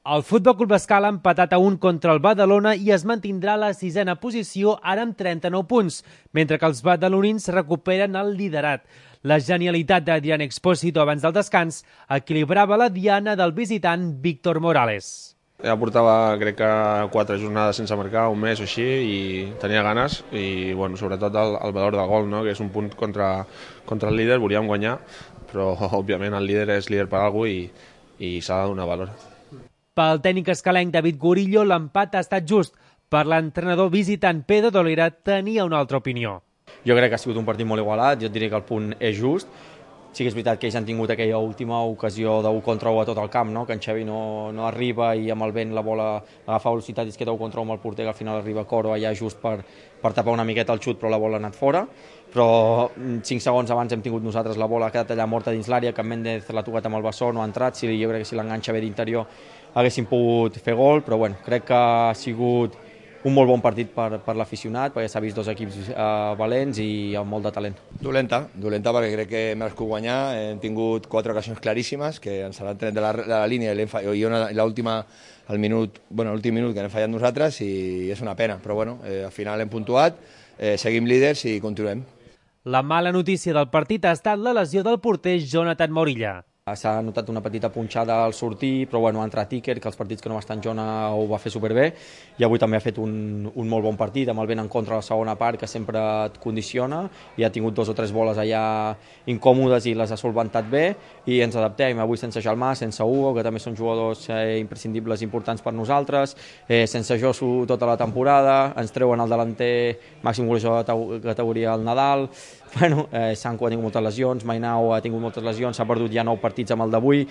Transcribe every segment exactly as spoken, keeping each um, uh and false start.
El Futbol Club Escala ha empatat a un contra el Badalona i es mantindrà a la sisena posició, ara amb trenta-nou punts, mentre que els badalonins recuperen el liderat. La genialitat d'Adrián Expósito abans del descans equilibrava la diana del visitant Víctor Morales. Ja portava, crec que, quatre jornades sense marcar, un mes o així, i tenia ganes, i bueno, sobretot el, el valor del gol, no? Que és un punt contra, contra el líder, volíem guanyar, però òbviament el líder és líder per alguna cosa i, i s'ha de donar valor. Pel tècnic escalenc David Gorillo, l'empat ha estat just. Per l'entrenador visitant Pedro Dolera tenia una altra opinió. Jo crec que ha sigut un partit molt igualat, jo et diré que el punt és just. Sí que és veritat que ells han tingut aquella última ocasió d'un contra u a tot el camp, no? Que en Xavi no, no arriba i amb el vent la bola agafa velocitat i es queda un contra u amb el porter, que al final arriba Coro allà just per, per tapar una miqueta el xut, però la bola ha anat fora. Però cinc segons abans hem tingut nosaltres la bola, ha quedat allà morta dins l'àrea, que Méndez l'ha tocat amb el bessó, no ha entrat, si, jo crec que si l'enganxa bé d'interior haguéssim pogut fer gol, però bueno, crec que ha sigut un molt bon partit per, per l'aficionat, perquè s'ha vist dos equips eh, valents i amb molt de talent. Dolenta, dolenta perquè crec que hem merescut guanyar, hem tingut quatre ocasions claríssimes, que ens han tret de la, de la línia i, i una, l'última al minut, bueno, l'últim minut que hem fallat nosaltres i és una pena, però bueno, eh, al final hem puntuat, eh, seguim líders i continuem. La mala notícia del partit ha estat la lesió del porter Jonathan Morilla. S'ha notat una petita punxada al sortir, però bueno, ha entrat Iker, que els partits que no va estar en Jona ho va fer superbé, i avui també ha fet un, un molt bon partit, amb el vent en contra a la segona part, que sempre et condiciona, i ha tingut dos o tres boles allà incòmodes i les ha solventat bé, i ens adaptem avui sense Jalmà, sense Hugo, que també són jugadors eh, imprescindibles importants per nosaltres, eh, sense Josu tota la temporada, ens treuen el delanter màxim golejador de categoria al Nadal, bueno, eh, Sanko ha tingut moltes lesions, Mainao ha tingut moltes lesions, s'ha perdut ja nou partits amb el d'avui,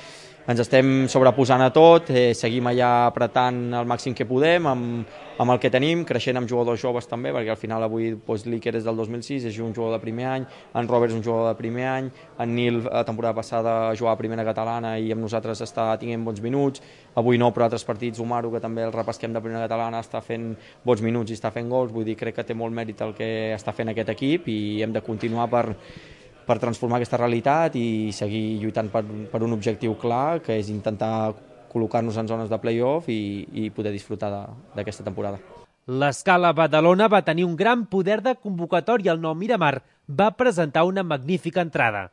ens estem sobreposant a tot, eh, seguim allà apretant el màxim que podem amb, amb el que tenim, creixent amb jugadors joves també, perquè al final avui doncs, l'Iker és del dos mil sis, és un jugador de primer any, en Robert és un jugador de primer any, en Nil la temporada passada jugava a primera catalana i amb nosaltres està tenint bons minuts, avui no, però altres partits, Umaru, que també el repesquem de primera catalana, està fent bons minuts i està fent gols, vull dir, crec que té molt mèrit el que està fent aquest equip i hem de continuar per per transformar aquesta realitat i seguir lluitant per, per un objectiu clar, que és intentar col·locar-nos en zones de play-off i, i poder disfrutar d'aquesta temporada. L'Escala Badalona va tenir un gran poder de convocatòria. El nou Miramar va presentar una magnífica entrada.